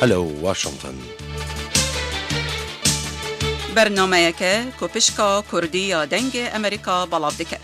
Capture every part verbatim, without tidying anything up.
Alo Washington. Bernameyeke ku pişka Kurdî ya Dengê Amerîka belav dike.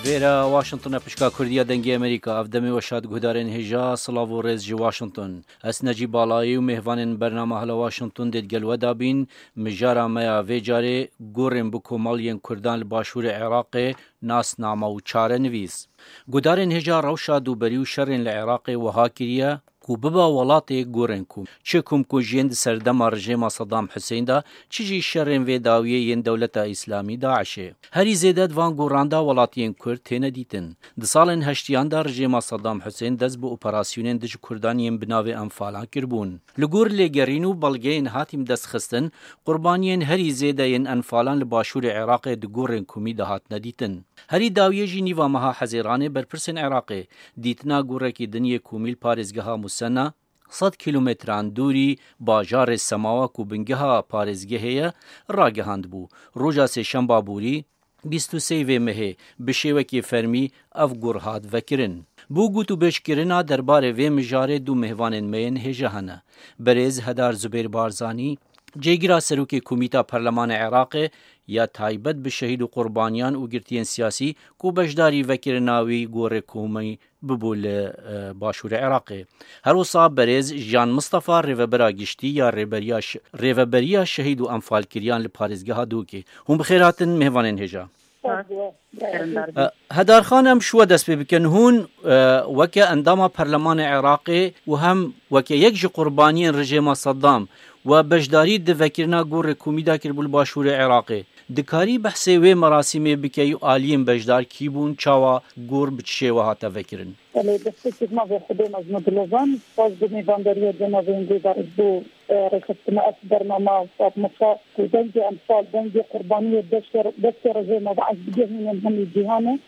Vêre Washington e, pişka Kurdî ya Dengê Amerîka. Ev demê we şad guhdarên hêja, silav û rêz ji Washington. Ez Necîb Balayî û mêvanên bernama Hela Washington dê digel we de bîn. Mijara me ya vê carê gorên bi komeliyên Kurdan li başûrê Iraqê, nasname û çarenivîs. Guhdarên hêja, rewşa dûberî û şerên li Iraqê wiha kiriye ku biba welatê gorên komî. Çi komkujiyên di serdema rejêma Saddam Hussein de, çi jî şerên vê dawiyê yên Dewleta Îslamî, DAIŞê. Herî zêde di van goran de welatiyên Kurd têne dîtin. Di salên heştiyan de rejêma Saddam Hussein dest bi operasyonên dij Kurdan yên bi navê Enfalan kiribûn. Li gor lêgerîn û belgeyên hatî bi dest xistin, qurbaniyên herî zêde yên Enfalan li başûrê Iraqê di gorên komî de hatine dîtin. Herî dawiyê jî nîva meha Hezêranê berpirsên Iraqê dîtina gorekî din yê komî li parêzgeha Musena, sed kîlometran dûrî bajarê Semawa ku bingeha parêzgehê ye, ragihandibû. Roja sêşemba borî, bîst û sê vê mehê, bi şêwekê fermî ev gor hat vekirin. Bo gotûbêjkirina derbarê vê mijarê du mêvanên me yên hêja hene. Berêz Hedar Zubêr Barzanî, cêgira serokê Komîta Perlemanê Iraqê ya taybet bi şehîd û qurbaniyan û girtiyên siyasî ku beşdarî vekirina wî gorê komî bibû li, e, başûrê Iraqê. Her wisa berêz Jan Mistefa, rêvebera giştî ya rêberiya ş-, rêveberiya şehîd û enfalkiriyan li parêzgeha Dûkê. Hûn bi xêr hatin, mêvanên hêja. Spas bo we. Kerem dar E, bî. Hedar Xan, em ji we dest pê bikin. Hûn, e, weke endama Perlemanê Iraqê û hem weke yek ji qurbaniyên rejêma Saddam we beşdarî di vekirina gorê komî de kiribû li başûrê Iraqê. Dikarî behsê wê merasîmê bikey û aliyên beşdar kî bûn, çawa gor bi çi şêwe hate vekirin? Belê, destpêkê bi navê Xwedê mezin û dilozan, spas bo mêvandariya cenabê hêndê Dariz bo, e, rêxistina ev bernama Fatmika ku dengê enfal, dengê qurbaniyê destê, destê rejêma DAIŞ digehînin hemî cîhanê.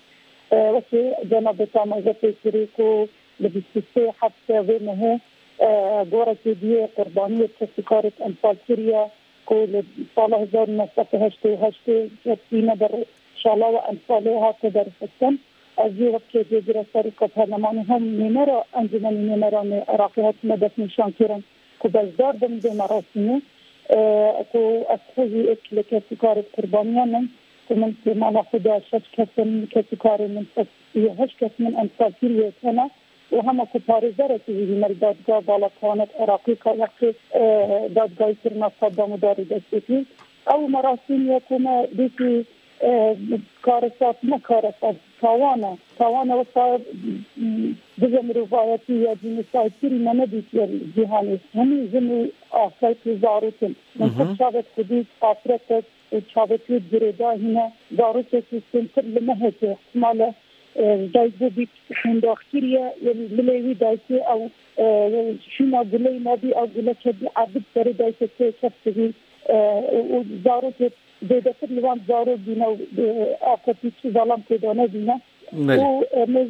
E, wekî cenabê te ameze pê kirî ku li bîst û sê heftê vê mehê, e, gorekê diyê qurbaniyê kesîkarek enfal kiriye. Ku li sala hezar û neh sed û heştê û heştê ketîne ber şala û enfalê hate derxistin. Ez jî wek cêgira serokê perlemanê hem nûnera Encûmenê Nûneranê Iraqê hatime destnîşankirin ku beşdar bim vê merasîmê, e, ku ez xwe jî êk li kesîkarê qurbaniyan im, ku min li mala xwe de şeş kes in, kesîkarê min sed û heşt kes min enfal kiriye tene. û hema ku parêzerekî jî hîne li dadgah, bala Kiwanet Iraqî, ka wextê, e, dadgahîkirina Saddam û darê destpêkî. Ew merasîm ye ku me dîtî, e, karesat, ne karesat, tawan e. Tawan e wisa, m, dijî mirovayetî ya cînosaydkirî me nedîtiye li cîhanê. Hemî jin û afret û zarok in. Min Mhm. xwe çavek xwe dît, afretek û çavekî girêdayî hîne. Zarokekî kêmtir li mehekê, ihtimale e, ji dayik bû bî hundaxkirî ye, yê milê wî dayikê ew, e, şûna guleyî nebî, ew guleke bî ebid serê dayikê tê keftivî, e, û, û zarokê zêdetir li wan zarok bîne û, e, afetî çi zelam tê de nebîne. Belê. Û, e, me,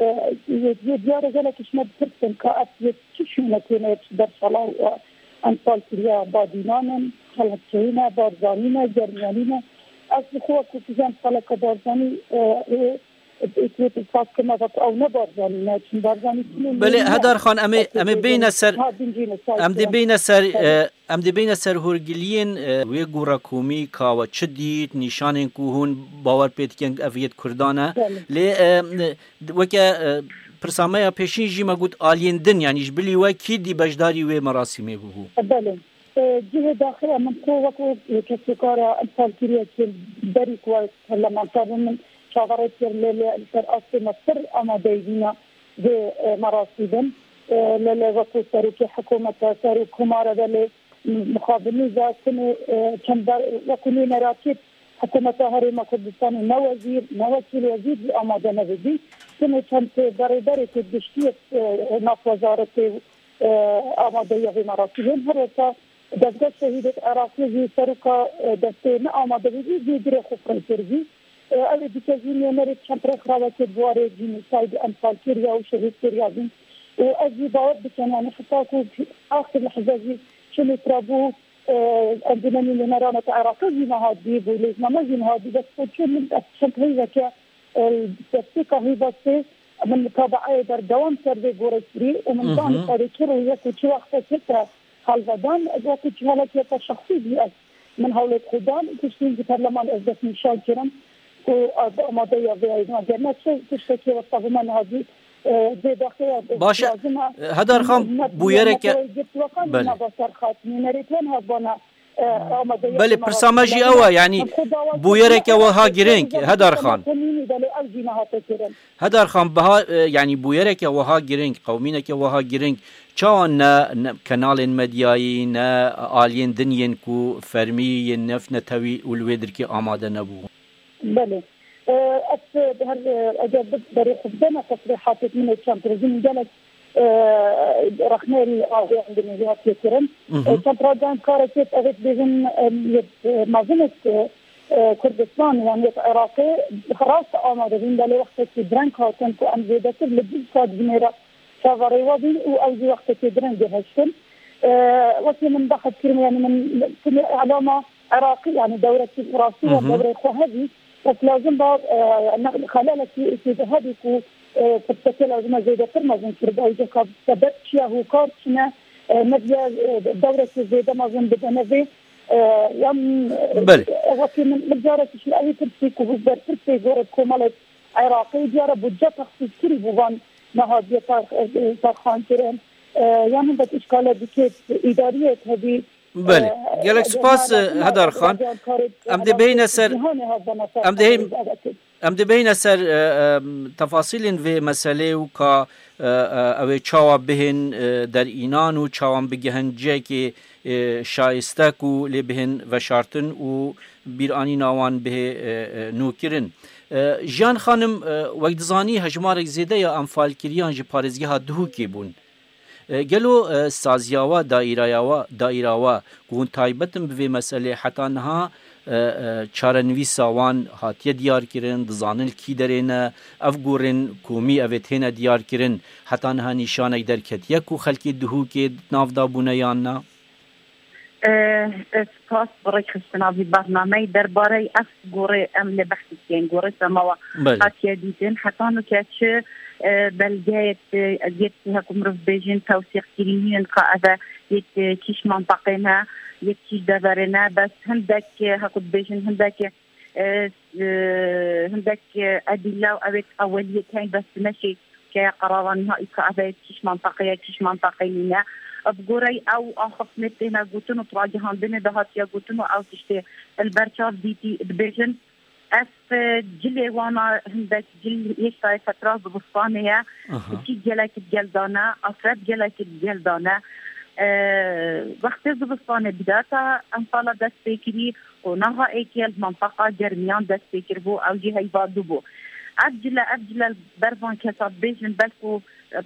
e, yê, yê diyar e gelek ji me dipirsin ka ev yê çi şûne têne yê çi berşala, e, enfal kiriya badînan in, xelatçeyî ne, barzanî ne, germiyanî ne. Ez bi xwe wekî fijan saleke barzanî, e, ê, Êkê tu saz kir me vat ew ne Barzanî ne, çin Barzanî çinê Belê, Hedar Xan, em ê, em ê bêne ser, ha, din cî ne, em dê bêne ser, e, em dê bêne ser hûrgiliyên, e, wê gora komî ka we çi dît, nîşanên ku hûn bawer pê dikin ev yêt Kurdan e. Belê. Lê, e, weke, e, pirsa me ya pêşîn jî me got aliyên din, yanî ji bilî we kî dî beşdarî wê merasîmê bûbû? Belê. E, cihê daxê min ku wekî, e, kesûkara enfalkiriyekî berî ku ez parlamenter bûm, min çaverê kir, lê, lê li ser astê me pir amadeyî bîne vê, e, merasî bin. E, lê, lê wekî serokê hikûmete, serok komare de lê mixabinî de tinê, e, çend ber-, wekî nûnerakî hikûmeta Herêma Kurdistanê ne wezîr, ne wekîl wezîr jî amade nebibî. Tinê çend berêberê ku giştî, e, nav wezaretê, e, amadeya vê merasîmê. Her wisa Dezgeh Şehîdek Iraqî jî seroka, e, destê ne amade bû, jî cêgirê xwe fireh kir jî. E, ew ê dîke jî nûnerê çend rêkxrawekê di warê cînosaydê enfalkiriya û şehîdkiriya bîn. Û ez jî bawer dikim, yanî heta ku axir lehze jî çi lêtirabû, Encûmenî Nûnerana Iraqê jî niha dî bû, lêzname jî niha dî, dest xwe çû min, ez çend heyveke, e, destpêka heyva sê min mutabaeyê berdewam kir vê gorê kirî û min Hı hı. dan xwe çi rûyek û çi wextekê te helvedan, wekî çi helekê te şexsî bî ez min hewlê xwe dan û piştî ji perleman ez destnîşan kirim ku ez amadeya vê eydîna. Ger ne çi tiştekê wexta bi me niha dî, e, vê daxeya Baş e, lazim e. Hedar Xan, bûyereke Belê. Nava serxat, nûnerê twan hebana, e, amadeya Belê, pirsa me jî ew e, yanî bûyereke wiha girîng, Hedar Xan. Belê, ew jî nehate kirin. Hedar Xan, biha, e, yanî bûyereke wiha girîng, qewmîneke wiha girîng, çawa ne, ne kenalên medyayî, ne aliyên din yên ku fermî yên nefnetewî û li wê dirkê amade nebû? Belê. E, ez, e, her, e, eger bi berê xwe bideme tesrîhatê min ê çend rojî min gelek, e, rexneyê li avêyan dinê hatiye kirin. Mhm. E, çend rojan kareke, evet, bêjin, e, yê, e, mezin ê, e, Kurdistan, yan yê Iraqê rast amade bûn, belê wextekî direng hatin ku em zêdetir li du sed binêre çaverê we bîn û ew jî wextekî direng gihiştin. E, wekî min behs kirin, yani min, min, Îlama Iraqî, yani dewrekî rastî ya Hı hı. dewrê xwe hebî, bes lazim ba, e, ne-, xelalekî êkê de hebî ku, e, pirseke lazim e zêdetir mezin kiribay, ceka sebeb çi ye, hokar çi ne, e, ne diye, e, dewrekî zêde mezin bidene vê, e, yan, e, Belê. e, wekî min, min carekî ji ewî pirsî ku hûzberpirsê gorek komelek Iraqê diyare budce texsîs kirî bû van nehatiye tarx-, e, tarxan kirin, e, yan hindek îşkale dikê îdariyê hebî, Belê. Gelek spas, Hedar Xan. Em dê bihîne ser, em dê hê-, em dê bihîne ser, e, e, tefasîlên vê meselê û ka, e, e, ew ê çawa bihên, e, derînan û çawan bigihin cihekê, e, şayiste ku lê bihên veşartin û bîranîna wan bihê, e, e, nûkirin. E, Jiyan Xanim, e, wek dizanî hejmarek zêde ya enfalkiriyan ji parêzgeha Duhokê bûn. E, gelo, e, saziya we, daîraya we, daîra we, ku hûn taybet in bi vê meselê, heta niha, e, e, çarenivîsa wan hatiye diyarkirin, dizanin li kî derê ne, ev gorên komî ev ê têne diyarkirin, heta niha nîşanek derketiye ku xelkê Duhokê di nav de bûne yan na? E, e, spas bi rêkxistina vî bernameyê. Derbarey ev gorê em lê behsî dikin, gorê semawa Belê. hatiye dîtin. Heta nuke çi, e, belgeyek, e, ez yek heku mirov bêjin tewsîqkirî nînin ka ev e yek, e, kîş menteqê ne, yek kîş deverê ne, bes hindek, e, heku dibêjin hindek, e, e, hindek, e, edîle û ew ê eweliyê tên bes dimeşê ke qeraran nihayî ka ev ê kîş menteqe ye, kîş menteqe nîne. Bi goreyê ew axiftinê têne gotin û ragihandinê de hatiye gotin û ew tiştê li ber çav dîtî dibêjin, ev, e, cilê wana hindek cil hêşta yê fetra zivistanê ye. Aha. Kî gelek di gel dane, afret gelek di gel dane. E, wextê zivistanê bidata enfala dest pê kirî û naha êkê li mantaqa germiyan dest pê kiribû, ew jî heyva dû bû. Ev cile, ev cile li ber van kesa dibêjin, belku, e,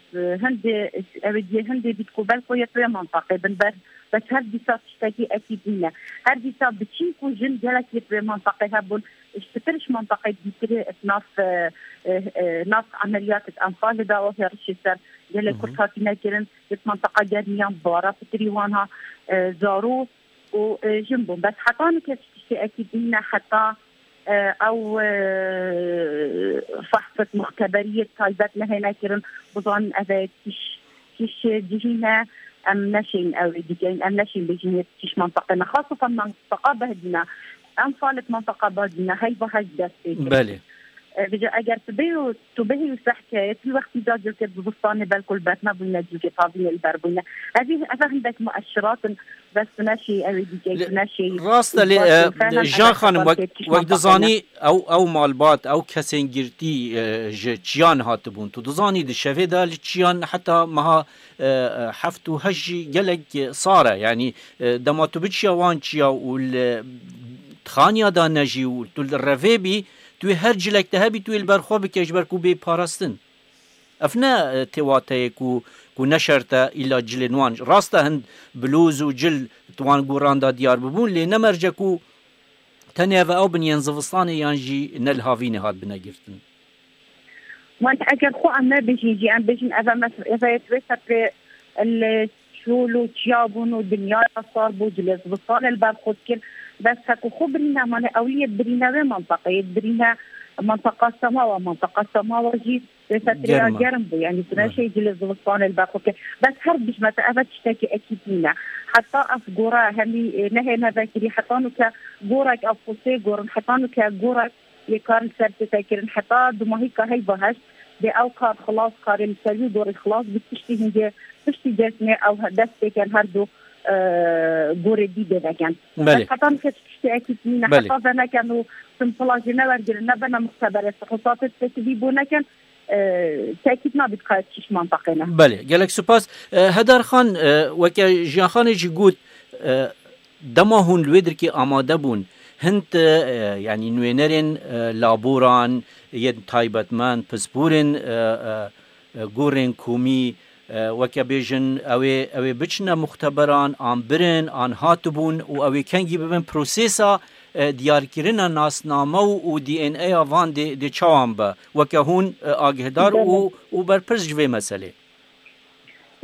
hindê, ew ê diyê hindê bît ku belku yê tu yê mantaqê bin ber, bes her dîsa tiştekî ekîd nîne. Her dîsa biçîn ku jin gelek yê tu yê mantaqê hebûn, ji pitir ji mantaqê dîtirê, nav, e, e, e, nav emeliyat enfalê dawa hêrişê ser gelek Hı hı. Kurd hatine kirin, yê mantaqa germiyan bara pitirî wan ha, e, zarû û, e, jin bûn. Bes heta nike tiştê ekîd nîne heta, e, ew, e, fehsek muxteberiyê taybet nehêne kirin, bizanin ev e kîş, kîş cihî ne, em neşên ew ê dikeyin, em neşên bêjin yê kîş manteqe ne. Xasatan manteqa Behdîne, enfalek manteqa Behdîne, heyva hej dest pê kir. Belê. E, vêca eger tu bê û tu bihî û sehkeyê, tu wextî da cilkê zivistanê belku li ber nebûyne, cilkê tavînê li ber bûyne. Evî, eve hindek mueşirat in, bes tu neşî, ew ê dîkey, tu neşî. Rast e, lê, e, Jiyan Xanim, wek, wek dizanî, ew, ew malbat, ew kesên girtî, e, ji çiyan hatibûn. Tu dizanî di şevê de li çiyan heta meha, e, e, heft û heşt jî gelek, e, sar e. Yanî, e, dema tu biçiya wan çiya û li xaniya de nejî û tu li revê bî, tu yê her cilek te hebî, tu yê li ber xwe bike, ji ber ku bê parastin. Ev ne, e, tê wateyê ku, ku ne şert e îlla cilên wan. Rast e, hind bilûz û cil di wan goran de diyar bibûn, lê ne merc e ku tenê ev ew bin yên zivistanê yan jî ne li havînê hatibine girtin. Wan eger xwe em nebêjin jî, em bêjin ev e mes-, ev e wê setrê li çol û çiya bûn û dinyaya sar bû, cilê zivistanê li ber xwe dikir. Bes heko xwe birîne, mane ew yê birîne wê menteqeyê, birîne menteqa Semawa, menteqa Semawa jî rêsetirêya Germ e. Germ bû, yanî tu Belê. neşeyî cilê zivistanê li ber xwe bikir. Bes her bijmete eve tiştekî ekîd nîne. Heta ev gora hemî, e, nehêne vekirî, heta nuke gorek ev xwe sê gorin, heta nuke gorek yê kar li ser tête kirin, heta dumahîka heyva heşt dê ew kar xilas, karê li ser wî gorî xilas bî, piştî hingê, piştî cezmê ew dest pê ken her du, e, gorê dî dê veken. Belê. Bes heta nike tiştê ekîd nîne, Belê. heta veneken û simpila jî newergirin, nebene muxtebere, sixisatê tiştekî dî bû neken, e, tekîd nabît ka çiş manteqê ne. Belê, gelek spas. E, Hedar Xan, e, weke Jiyan Xanê jî got, e, dema hûn li wê dirkê amade bûn, hin ti, e, yanî nûênerên, e, laboran yên taybetmend, pisporên, e, e, e, gorên komî, e, weke bêjin, ew ê, ew ê biçine muxteberan, an birin, an hatibûn û ew ê kengî bibin prosesa, e, diyarkirina nasname û, û D N A ya van dê, dê çawan be? Weke hûn, e, agihdar Belê. û, û berpirs ji vê meselê.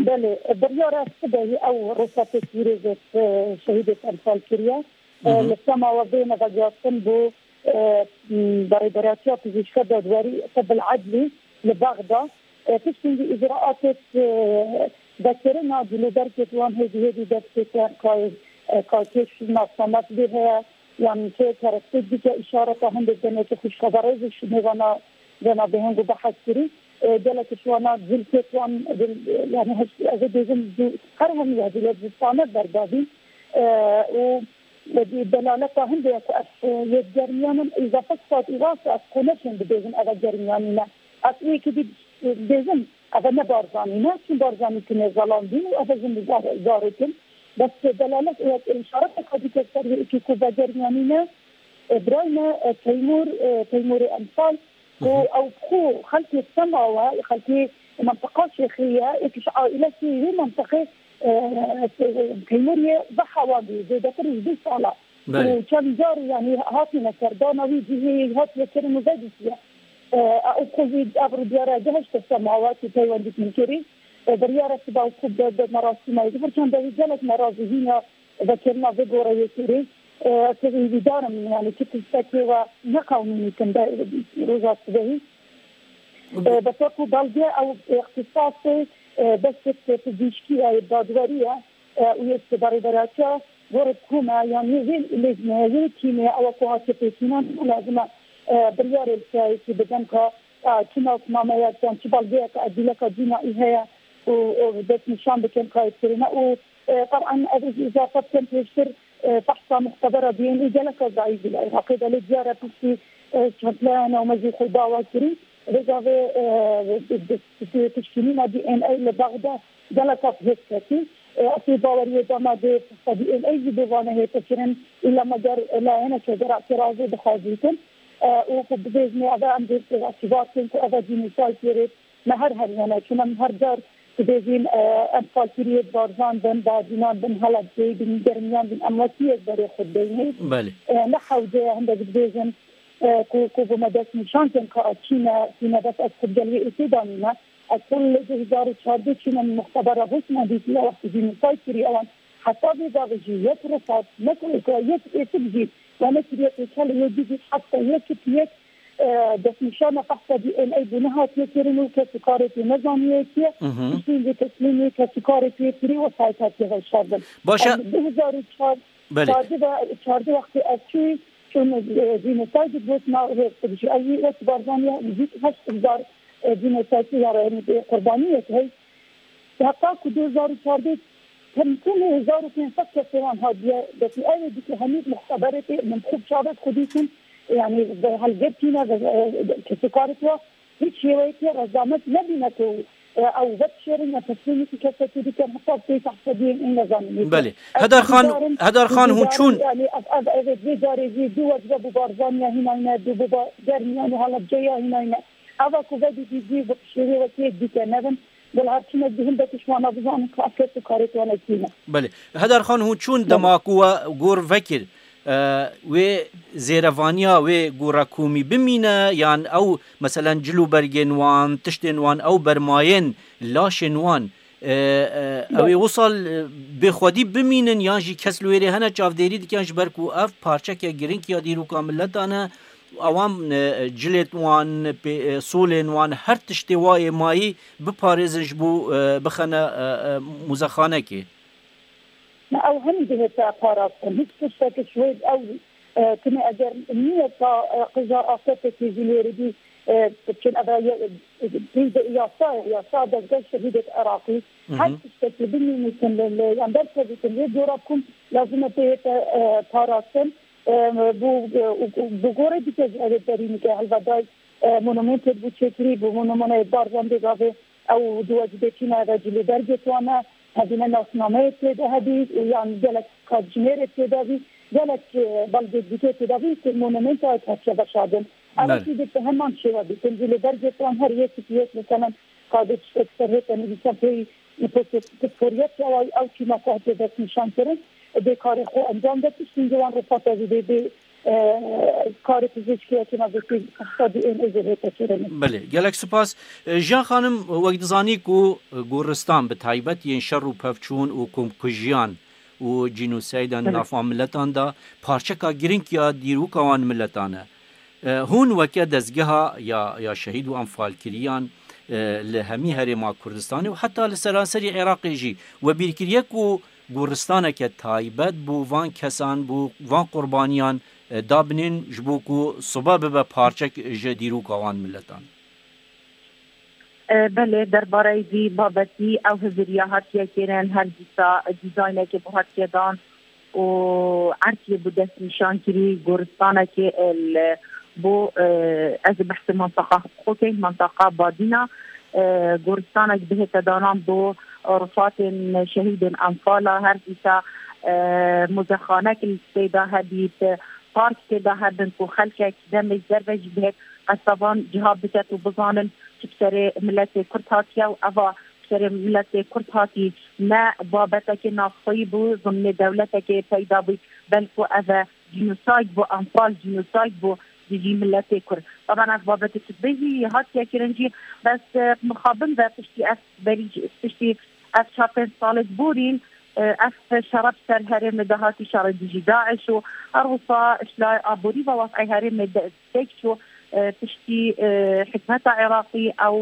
Belê, biryara sibehî ew rûsatê pîrê vê, e, şehîdê Enfal kiriye. E, Hı hı. Li Semawa bêne veguhastin bo, e, m, Berêberatiya Pizîşka Dadwerî Tib el Edlî li Bexda. E, piştî vî îcraatê, e, vekirina cilûbergê di wan hêdî hêdî dest pê ke, ka, e, ka kêş nasname bi vê heye, yan kê kerestê dike îşareta hindê denê ke xwişka berêz û şinê vana, vana bêheng û behs kirî. E, gelek ji wana cilkê wan, dil, yani, heş-, ez ê bêjim, dil, her hemî ya dilê zistane berdabî. E, û Wekî delaleta hindê ku ez, e, yê germiyanin îzafe spat û rast ez xwe neşên dibêjim eve germiyanî ne. Ez wê yekî dî dibêjim eve ne Barzanî ne, çün Barzanî tinê zelandîn û eve jin zar-, zarok in. Bes delalet û wek îşareteka dî ke ser wê yekî ku ve germiyanî ne, e, birayê me, e, Teymûr, e, Teymûrê Enfal, Ku Hı hı. ew bi xwe xelkê Semawa, xelkê mentiqa Şêxiyê ye, êk ji aîlekî wê mentiqê, e, Teymûriyê ve hewa bû, zêdetir ji du sala. Belê. Û çend car, yanî, hatine serdana wî cihê hatiye kirin û vedîtiye. E, ew xwe jî ev rûdiyara gihişte Semawa, ku peywendî min kirî. E, biryara siba û ku bi, bi merasîma yê bifir, çend dewî gelek me razî hîna vekirina vê goreyê kirî. E, ez hêvîdar im, yani, çi tiştekê we neqewimîtin be, roja sibehî. E, bes wekû belge ew îxtisasê, e, destê pizîşkî ye, dadwerî ye, e, û yê berêberatiya gorê kome, yani, yê vê lêzmeyê, yê tîmê, ew ku hatiye pêkînan, lazim e, e, biryarê li siyayekî bidin ka, e, çi nasnameyek, yan çi belgeyek edîleka cînayî heye û, û destnîşan bikin ka yê kirine û E, teban, ev jî îzafe bikim pêştir, e, behsa muxtebera D N A gelek zayîf bû li Iraqê de, lê diyar e piştî, e, çend layene û me jî xwe dawa kirî. Rêza vê, e, di, di, di, piştgirîna D N A li Bexda gelek hêz ketî. E, ez ê baweriyê de me dê behsa D N A jî bê vane hête kirin, îla me ger layeneke gerek razê dixwazîtin. E, û ku bibêjin, ev em dê îtîbar bikin ku ev cînîsaytê rê Me her her hene, çuna em her car dibêjin, e, em falkiriyê barzan bin, badînan bin, helebceyî bin, germiyan bin, em wekî yek berê xwe dibêjin. Belê. E, ne hewce ye, hindek dibêjin, e, ku, ku bi me dest nîşan kin ka çîne, çîne bes ez xwe gel wê êsê danîme. Ez xwe li du hezar û çardeh çîne muxtebera Bosna dîtiye wextî jî nîsay kiriye wan. Heta vê gavê jî yek rifat, ne ku yek, yek êsik jî, we nekiriye pêçelê yê dî jî heta yek yek e, destnîşana fehsa D N A bû nehatiye kirin û kes û karê pê nezaniye kî ye. Mhm. Piştî vê teslîmê kes û karê pê kirî wesayît hatiye veşardin. Baş e. Em du hezar û çar, Belê. çardeh ve, çardeh wextê ez çûyî, çûn, e, jînîsayî got nav hêz jî. Ew jî wek Barzanî ya, jî heşt hezar, e, jînîsayî ya re, yanî, e, qurbaniyek hey. Heta ku du hezar û çardeh tem-, temê hezar û pênc sed kesê wan hatiye destî. Ew ê dike hemî muxteberê pê min xwe çavet xwe dîtin, yanî bi helbet tîne ve, e, kesekarê twa hiç şêweyekê rezamet nebîne ku, e, ew vedişêrin ya teslîmî kî kesekî dikin, heta pê tehsediyên ên nezanîn. Belê. Hedar Xan, Hedar Xan hûn çûn? Yanî ev, ev, ev, vê carê jî du wecbe bû Barzaniya hînayne, du bû ba Germiyan û Halebceya hînayne. Eva ku vedî dî jî bi şêwê wekî yek dîke nevin. Bila her çinek di hindek ji wana bizanin ku ev kes û karê wana kî ne. Belê. Hedar Xan, hûn çûn Belê. dema ku we gor vekir, e, wê zêrevaniya wê gora komî bimîne, yan ew, meselen, cil û bergên wan, tiştên wan, ew bermayên laşên wan, E, e, ew ê wisa, e, bêxwedî bimînin yan jî kes li wêrê hene çavdêrî dikin, ji ber ku ev parçeke girîng ya dîroka miletan e. Ewan, e, cilêt wan, pê-, e, solên wan, her tiştê wa yê mayî biparêzin ji bo, e, bixene, e, e, muzexanekê. Ne, ew hemî dihête parastin. Hiç tiştekî ji wê ew, e, tune eger niye ta, e, qija afetekî jî li wêrê bî, e, çin eve ye-, pênc de yasa, yasa dezgeh şehîdek Iraqî. Hı hı. Her tiştekî bimînîtin li, li, yan derkevîtin lê dora kum lazim e pê hête, e, parastin. E, bu, e, bu gorê dike ji evê derînike helveday, e, monumentê bû çêkirî, bû monumenê Barzan Dêgavê. Ew di wecibê çîna ve cilê dergê wan e, hevîne nasnameyê tê de hebî, yan gelek qat jinêrê tê de bî, gelek, e, belgê dîkê tê de bî, ku monumenta hatiye veşardin. Ev Belê. Tî de bi heman şêwe bîtin, cilê dergê wan her yekî yek, mesela, qadê tiştek ser hête nivîsan pê pisporiyet ya ew çîna ku hatiye destnîşan kirin, bê karê xwe encam de, tiştî wan rifata vî bê, bê, e, karê pizîşkiyekî navbetî iqtisadî ên êzê hête kirin. Belê, gelek spas. E, Jiyan Xanim, wek dizanî ku, e, goristan bi taybet yên şer û pevçûn û komkujiyan û cînoseydan Hı. nav van miletan de parçeka girîng ya dîroka wan miletan e. E, hûn weke dezgeha ya, ya şehîd û enfalkiriyan, e, li hemî herêma Kurdistanê û heta li seranserî Iraqê jî we bîrkiriye ku goristaneke taybet bo van kesan, bo van qurbaniyan, e, dabinên ji bo ku sibe bibe parçek ji dîroka wan miletan? E, belê, derbareyî vî babetî ew hiziriya hatiye kirin, her dîsa dîzaynekê bo hatiye dan û erdkê bo destnîşan kirî goristanekê, e, li, bo, e, ez ê behsê mantaqa xwe keyim, mantaqa Badîna, e, goristanek bihête danan bo rifatên şehîdên Enfala, her dîsa, e, muzexanek li tê de hebît, park tê de hebin ku xelkek demê derve jî bihêt qesta van ciha biket û bizanin çi bi serê miletê Kurd hatiye û eva bi serê miletê Kurd hatî ne babetekê navxweyî bû, zimnê dewletekê peyda bû, belku ev e cînosayd bû, Enfal cînosayd bû dijî miletê Kurd. Taban ev babetê tu dibêjî hatiye kirin jî, bes, e, mixabin ve piştî ev berî, piştî ev çar pênc salê borîn, e, ev şere bi ser herêmê de hatî, şerê dijî DAIŞ û her wisa ji layê aborî ve wazîfeyê herêmê de pêk çû, e, piştî, e, hikûmeta Iraqî ew,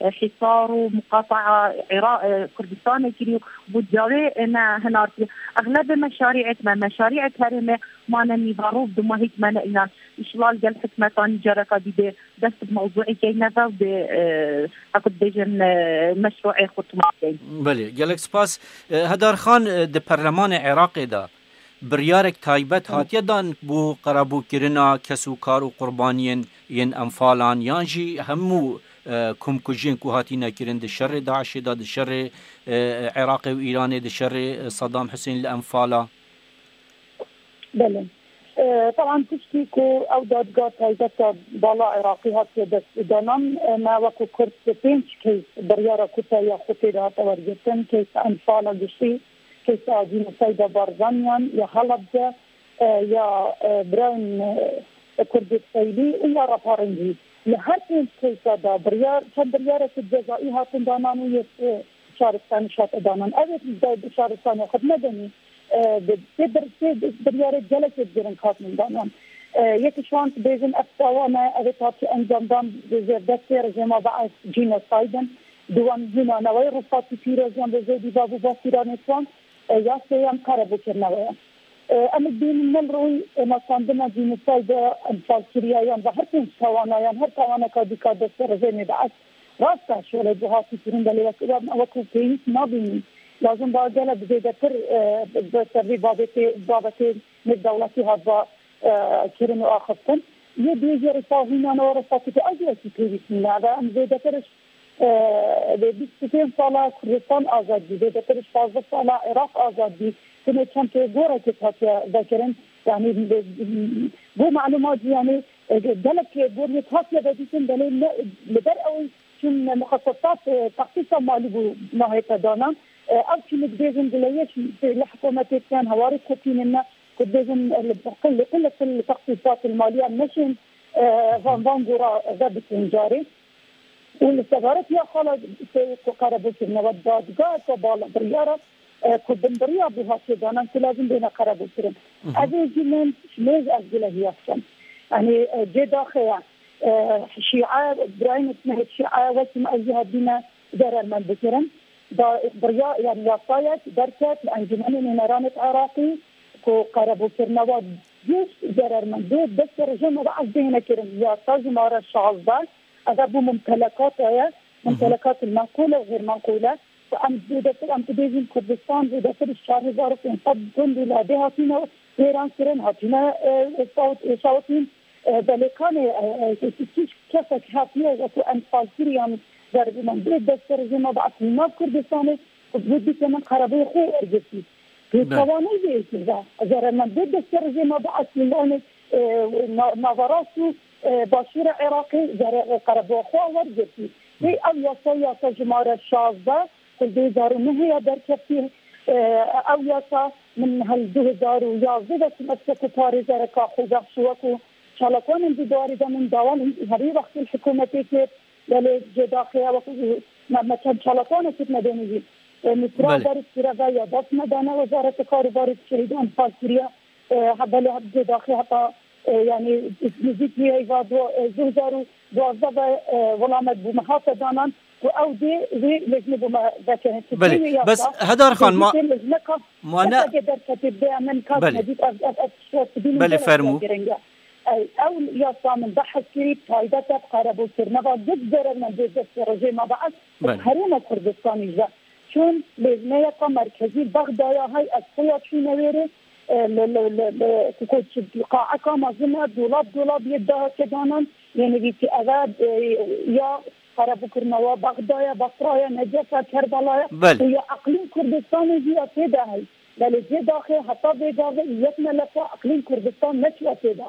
e, hîsar û muqataa Ira-, e, Kurdistanê kirî û bû cawê, e, ne hinartî. Exlebê meşarîet me, meşarîet herêmê mane nîva rû, bi dumahî me ne înan. Îşilal gel hikûmetanî careka dî bê dest bi mewzûekê neve û bê, e, heku dibêjin, e, meşrûê xwe tuma keyn. Belê, gelek spas. E, Hedar Xan, e, di perlemanê Iraqê de biryarek taybet hatiye dan bo qerebûkirina kes û kar û qurbaniyên yên Enfalan yan jî hemû, e, komkujiyên ku hatine kirin di şerê DAIŞê de, di şerê, e, Iraqê û Îranê, di şerê, e, Saddam Husên li Enfala? Belê. E, taban tiştî ku ew dadga taybet a bala Iraqî hatiye destdanan, e, me wekî Kurd pênc case biryara ku te ya xwe tê de hate wergirtin, case Enfala giştî, case a cînosayda Barzaniyan, ya Helebce, e, ya, e, birayên, e, Kurdê Feylî û ya raparên jî. Li her pênc case de biryar, çend biryareke cezayî hatin danan û yek, e, şaristanî hate danan. Ev ê bi şaristanê xwe medenî, e, bi, tê bir, tê biryarê gelekê giring hatin danan. E, yek ji wan dibêjin ev tawa me, ev ê parçe encam dan bi zêrdestê rejîma DAIŞ cînosayd in. Duwan hîna newey rûpatî pîroziyan bi zêdî bav û bafîranê wan, e, ya sêyem qerebûkirine we ye. E, em ê bînin ne li rûyê nasandina cînosaydê enfalkiriya yan ve her pênc tawana yan her tawaneka dîka destê rejîmê DAIŞ. Rast e, şolê bi hatî kirin, belê wek, wek, wekî pêwîst nabînî. Lazim ba gelek zêdetir, e, bi ser vê babetê, babetê nêvdewletî hatba, e, kirin û axiftin. Yê duyê jî rêxistina nava rêxistina Tirkiyê ew jî wekî pêwîst nîne. Ev em zêdetir ji, e, vê bîst û pênc sala Kurdistan azad bî, zêdetir ji pazdeh sala Iraq azad bî. Tenê çend gorekê hatiye vekirin. Yanî, bo melûmat jî, yanî, e, gelek goriyê hatiye vedîtin, belê ne, li ber ew çûn muxesesat, e, texsîsa malî bû nahête danan. E, ev çûn dibêjin dileyê li hikûmetê dikin, hewarê dixapînin me, ku dibêjin, e, li, li, li, li texsîsat li malî em neşên, e, van, van gora vebikin carê. Û li sebaretiya xala ku qerebû kirine we dadgeheke bala biryara, e, ku binbiriya bû hatiye danan ku lazim bêne qerebû kirin. Hı hı. Ev ê jî min mêz ez gule hiyas kim. Yanî, e, cê daxê ye. E, şîe, birayên me şîe wekî me ez jî hebîne zerermend bikirin. Da, birya, yanî yasayek derket li Encûmenê Nûneranê Iraqî ku qerebûkirina wa giş zerermendê destê rejîma Be'es bihêne kirin. Yasa jimare şazdeh, ev bû mumtelekata ye, Hı hı. mumtelekat menqûle û xêr menqûle. Ku em zêdetir, em dibêjin Kurdistan zêdetir ji çar hezar û pênc sed gund û ladê hatine wêran kirin, hatine, e, sawt-, şawitîn. E, belê kanê, e, e, kî kesek hatiye wekî enfalkirî yan zerrîmendê destê rejîma Be'es li nav Kurdistanê, ku bû dike min qerebûyê xwe wergirtî. Belê. Pêçawanê vê yekê de, zerrîmendê destê rejîma Be'es li navê, e, na-, naverast û, e, başûra Iraqê zere-, qerebûya xwe wergirtî. Wê ev yasa, yasa jimare şazdeh, ku du hezar û nehê ya derketî, e, ew yasa min hel du hezar û yazdeh de çûme ser ku parêzereka xwe bexşî wekî çalakvanên di dwarê de min dawan herî wextî li hikûmetê kir, belê cê daxê ya wekî me, me çend çalakvanekî me denî jî. E, Nusra Belê. Barî Sîre ve ya dest me dane Wezareta Karûbarê Şehîdan fal kiriye. E, he, belê cê daxê heta, e, yanî nêzîkî heyva du-, e, du hezar û duwazdeh ve, e, welamet bû me hate danan. Ku ew dê wê lejnê bo me vekirin. Belê. Bes Hedar Xan, ma, lejneka ma ne keseke derketê bê min kat Belê. Nedît ev, ev, ev tişt bînin Belê, gelek fermû. Giring e. Ew, ew yasa min behs kirî, taybet e, qerebûkirine va gid zerermendê destê rejê me Be'es, Belê. Herêma Kurdistanî ji. Çûn lejneyeka merkezî Bexdaya hay ez xwe ya çûne wêrê, e, li, li, li, li, ku, ku, qaeka mezin e, dolab, dolab yê daha kedanan, yê nivîsî eve, e, ya Qerebûkirina wa Bexdaya, Basraya, Necefa, Kerbalaya Belê. Û ya Eqlîm Kurdistanê jî ya tê de hey. Belê cê daxê heta vê gavê yek melefa Eqlîm Kurdistan neçiye tê de.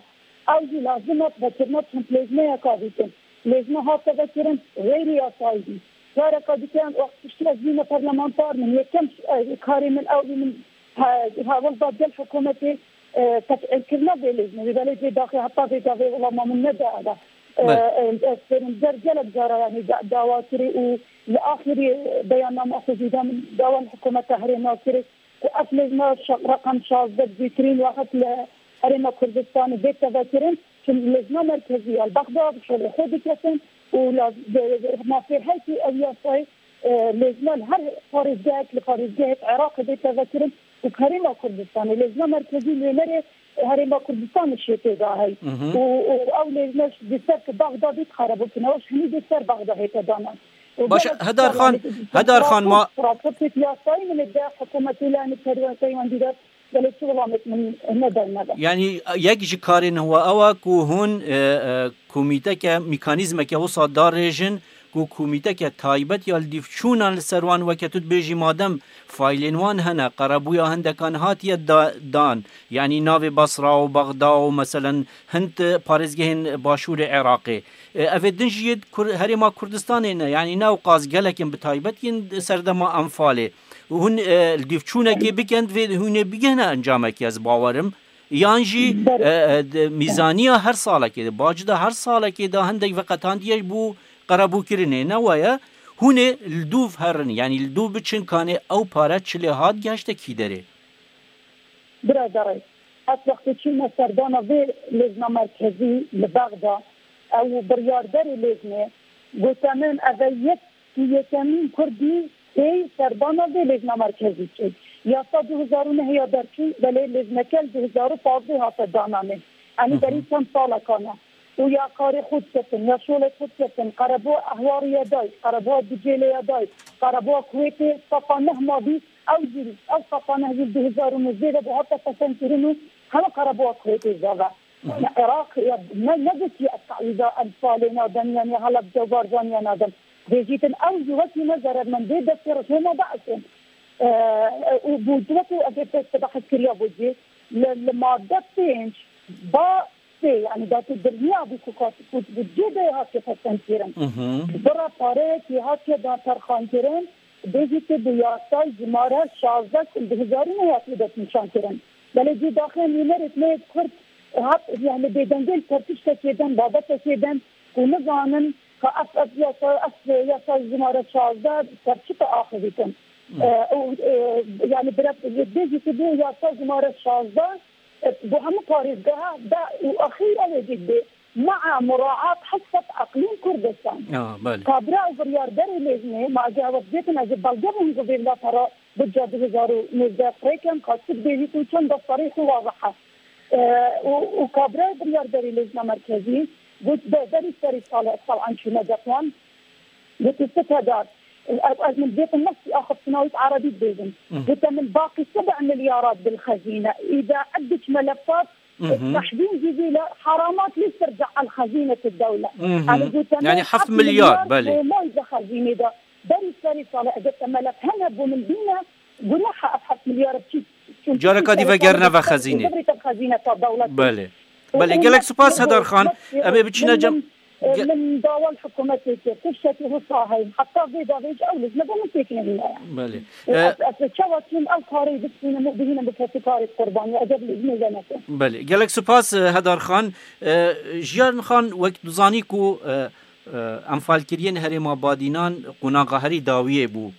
Ew jî lazim e vekirina çend lêjneyeka dîtin. Lêjne hate vekirin, xeyrî yasayî bî. Careka dîtin, wextî ez bîme parlamenter, min yekem, e, karê min ew bî min He, hewil da gel hikûmetê, e, tefîlkirina vê lêjnê. Belê cê daxê heta vê gavê wila ma min nede eve. E, Belê. E, ez fêrim der gelek cara, yanî da-, dawa kirî û li axirî beyanname xwe jî da min dawa li hikûmeta herêma kirî ku ev lêjna şa-, reqem şazdeh zîtirîn wexet li Herêma Kurdistanê bê tevekirin. Çim lêjna merkezî ya li Bexda bi şolê xwe diketin û la-, de-, de-, ma fê her kî ev yasayê e, lêjna li her parêzgehek li parêzgehek Iraqê bê tevekirin û Herêma Kurdistanê, lêjna merkezî Nûnerê Herêma Kurdistanê şê tê de hey. Mhm. Û, û ew lêjne ji ser ki Bexda bî qerebûkirine, ew ji hinî dê ser Bexda hête danan. Û Baş, gelek Hedar Xan, Hedar Xan, ma raportêk yasayî min ê de hikûmetê lê, yanî perwe-, peywendîdar Belê çi welamek min nede, nede. Yanî yek ji karên we ew e ku hûn, e, e, komîteke, mîkanîzmeke wisa darêjin ku komîteke taybet ya li dîvçûnan li ser wan, weke tu dibêjî, madem faylên wan hene, qerebûya hindekan hatiye da-, dan, yanî navê Basra û Bexda û meselen hind parêzgehên başûrê Iraqê. E, ev ê din jî yê Kur-, Herêma Kurdistanê ne, yanî ne ewqas gelek in, bi taybet yên serdema Enfalê. Hûn, e, li dîvçûnekê bikin, divê hûn ê bigihine encamekê, ez bawerim. Yan jî, Ber- e, e, de, mîzaniya her salekê de, bacda her salekê de hindek veqetandiye ji bo qerebûkirinê, ne weye? Hûn ê li dûv herin, yanî li dûv biçin, kanê ew pare çi lê hat, gehişte kî derê? Biraderê, ez wextê çûme serdana vê lêjna merkezî li Bexda, ew biryarderê lêjnê gote min, ev e yek Yekemîn Kurdî tê serdana vê lêjna merkezî çê. Yasa du hezar û neh ya derçû, belê lêjneke li du hezar û pazdeh hate dananê. Yanî Hı hı. berî çend salekan e. Û ya karê xwe diketin, ya şolê xwe diketin, qerebûya Ehwarê ya dayî, qerebûya Ducêlê ya dayî, qerebûya Kuwêtê sefa neh ma bî, ew jî, ew sefa neh jî du hezar û nozdeh de bi hate fesendkirin û heme qerebûya Kuwêtê zave. Hı hı. Iraq ya me negotiye ez tawiza Enfalê nadim, yanî Helebce û Barzanî nadim. Bêjîtin ew jî wekî me zerermendê destê rejîma Be'esê. E, û bû wekî ez ê pêşte behs kiriya bû jî li, li madde pênc ba sê, yanî da tu dirniya bû ku kat-, ku budcê de hatiye pesendkirin. Hı hı. Bira pareyekî hatiye da terxankirin, bêjî tu bi yasay jimare şazdeh du hezar û neh hatiye destnîşankirin. Belê cî daxê nûnerê me yê Kurd hat, yanî bêdengê li ser tiştekê din, babetekê din ku nizanin, ka ev, ev yasa, ev yasa jimare şazdeh ser çi te axivîtin. E, û, e, yani bira bêjî ki bu yasa jimare şazdeh, e, bu hemû parêzgeha da û axîra wê jî dê ma'a muraat hesab eqlîm Kurdistan. Ya, belê. Kabra û biryarderê lêzmê, ma eger ew dêtin ez ê belge bûm ku vê wila para Budca du hezar û nêzdeh firêkem, ka tu dibêjî ku çend serê xwe wazehe. E, û, û kabra biryarderê lêzma merkezî got, be-, berî serî sale tab'an çûne dexwan. Got, tu sedar. Ez, ez min dêtin nefsî axiftina wî erebî dibêjim. Got, min baqî seb'a milyarat bil xezîne. Îda eddiç melefat, tahdîn civîle haramat lî terca el xezîne tu dewle. Yani got, yani heft milyar, belê. Moy de xezîne de. Berî serî sale eger te melef hene bû min bîne, Gunaha ev heft milyar çi? Careka dî vegerine ve xezînê. Xezîne ta dewletê. Belê. Belê, gelek spas Hedar Xan. Em ê biçîne cem. Min, e, ge- min dawa li hikûmetê kir. Tiştekî wisa heye. Heta vê davê ji ew lêzme de min têk nehîne. Belê. E, e, ez, ez çawa çûm ew karê bistînim û bihînim bi kesî karê qurbanî. Eger lêzmê de nekin. Belê. Gelek spas, e, Hedar Xan. E, Jiyan Xan, wek dizanî ku, e, e, enfalkiriyên herêma Badînan qonaxa herî dawiyê bû.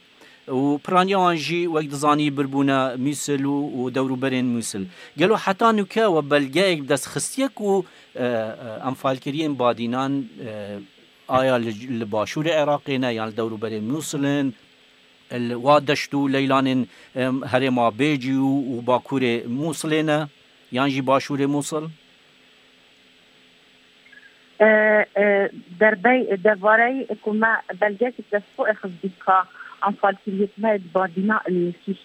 û piraniya wan jî, wek dizanî, birbûne Mûsil û, û dewrûberên Mûsil. Gelo heta nûke we belgeyek bi dest xistiye ku, e, e, enfalkiriyên Badînan, e, aya li, li başûrê Iraqê ne, yan li dewrûberê Mûsil in, li wa deşt û leylanên, e, herêma Bêcî û, û bakurê Mûsilê ne, yan jî başûrê Mûsil? E, e, derbey, derbarey ku me belgek destxo xizbîka enfalkiriyê me di Badîna li kîş,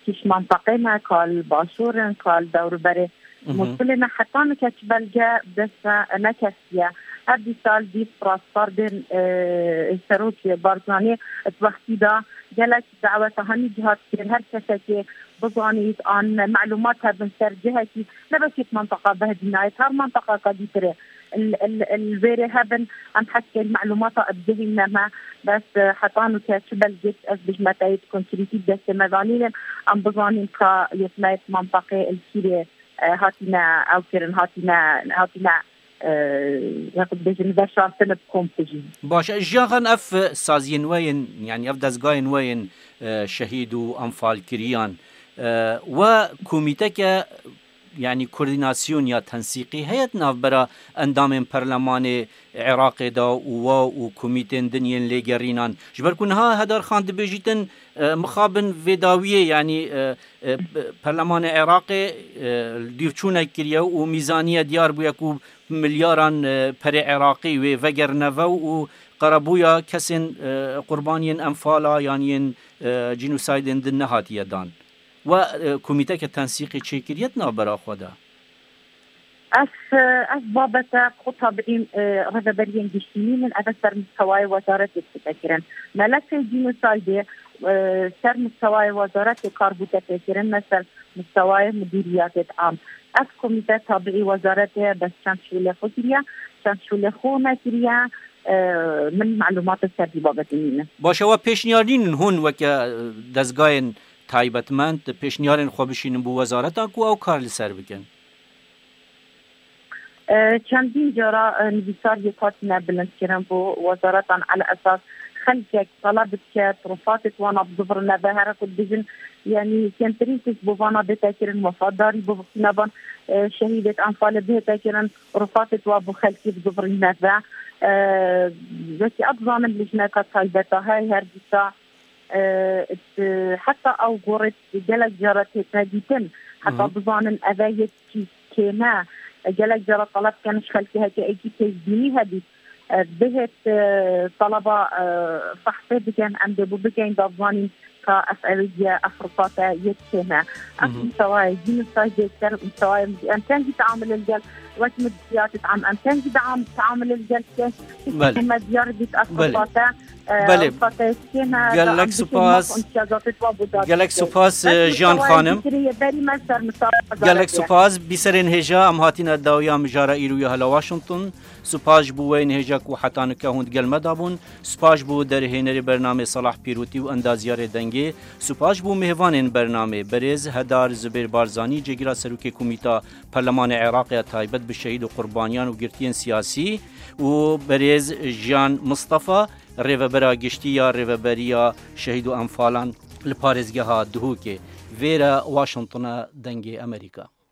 kîş mantaqê me, ka li başûr in, ka li dewrûberê Mûsilê ne, heta nike çi belge bi dest me neketiye. Her dîsa li dîv raspardên, e, serokê Barzanî di wextî de gelek daweta hemî cihat kir, her kesekê bizanît an melûmat hebin ser cihekî, ne bekî mantaqa Behdînayê, her mantaqaka dîtirê. Li, li, li vêrê hebin, em heskên melûmata bigihîne me, bes, e, heta nûke çi belgê ez bijme te yê konkretî destê me zanînin, em bizanîn ka yê me yê mantaqê li kîrê, e, hatine ew kirin, hatine, hatine, e, ya ku dibêjin, veşartin bi komkujî. Baş e, Jiyan Xan, ev saziyên we yên, yanî ev dezgahên we yên, e, şehîd û enfalkiriyan, e, we komîteke, yanî koordînasyon ya tensîqî heye di navbera endamên perlemanê Iraqê de û we û komîtên din yên lêgerînan? Ji ber ku niha Hedar Xan dibêjîtin, e, mixabin vê dawiyê, yanî, e, e, perlemanê Iraqê, e, dûrçûnek kiriye û mîzaniye diyar bûye ku milyaran, e, perê Iraqî wê vegerine ve û qerebûya kesên, e, qurbaniyên enfala yan yên, e, cînosaydên din nehatiye dan. We, e, komîteke tensîqê çêkiriye di navbera xwe de? Ez, e, ev babete xwe tabiî, e, rêveberiyên giştî nînin, ev ser mistewayê wezaretê dibe kirin. Melefê cînosaydê, e, ser mistewayê wezaretê kar bûte pêkirin, ne ser mistewayê mudîriyatê am. Ev komîte tabiî wezaretê ye, bes çend şûlê xwe kiriye, çend şûlê xwe nekiriye, e, min melûmatê ser vî babetê nîne. Baş e, we pêşniyar nînin hûn weke, e, dezgayên taybetmend pêşniyarên xwe bişînin bo wezareta ku ew kar li ser bikin? E, çendîn cara, e, nivîsar yek hatine bilindkirin bo wezaretan, ele esas xelkek taleb dike, tirofatê wana bidivrin neve, here ku dibêjin, yanî kêmtirîn tişt bo vana bête kirin, wefatdarî bo xînavan, e, şehîdêt enfalê bihête kirin, tirofatê wa bo xelkê bidivrin neve. E, wekî ez dizanim lijneka taybeta hey her dîsa, e, heta ew gorê gelek cara tête dîtin, heta bizanin eve yek çî kêne. Gelek cara taleb dikin ji xelkê heke êkî pêşbînî hebît, e, bihêt, e, taleba, e, fehsê bikin, em dê bo bikin, da bizanîn ka ev ewê ye, ev rifate yek kêne. Ev mistewayê, jî mistewayê zêdetir, mistewayê em kengî teamulê li gel, wek min diyatê tam, em kengî team-, teamulê li gel ke, Belê. me diyar bît, ev Belê. rifate, e, Belê. rifate yek kêne, Gelek da em bikin spas. maf imtiyazatê wa bo da Gelek bikin. spas, Bes e, Jiyan mistewayê Xanim. zêdetirê ye, berî me ser mistewayê Gelek wezaretiye. spas. Bîserên hêja, em hatine dawiya mijara îro ya hela Washington. Spas ji bo we yên hêja ku heta nike hûn di gel me de bûn. Spas ji bo derhênerê bernamê Salah Pîrotî û endaziyarê dengê Spas bo mêvanên bernamê, berêz Hedar Zubêr Barzanî, cêgira serokê Komîta Perlemanê Iraqê ya taybet bi şehîd û qurbaniyan û girtiyên siyasî, û berêz Jiyan Mistefa, rêvebera giştî ya Rêveberiya Şehîd û Enfalan li parêzgeha Duhokê. Vêre Washington e, Dengê Amerîka.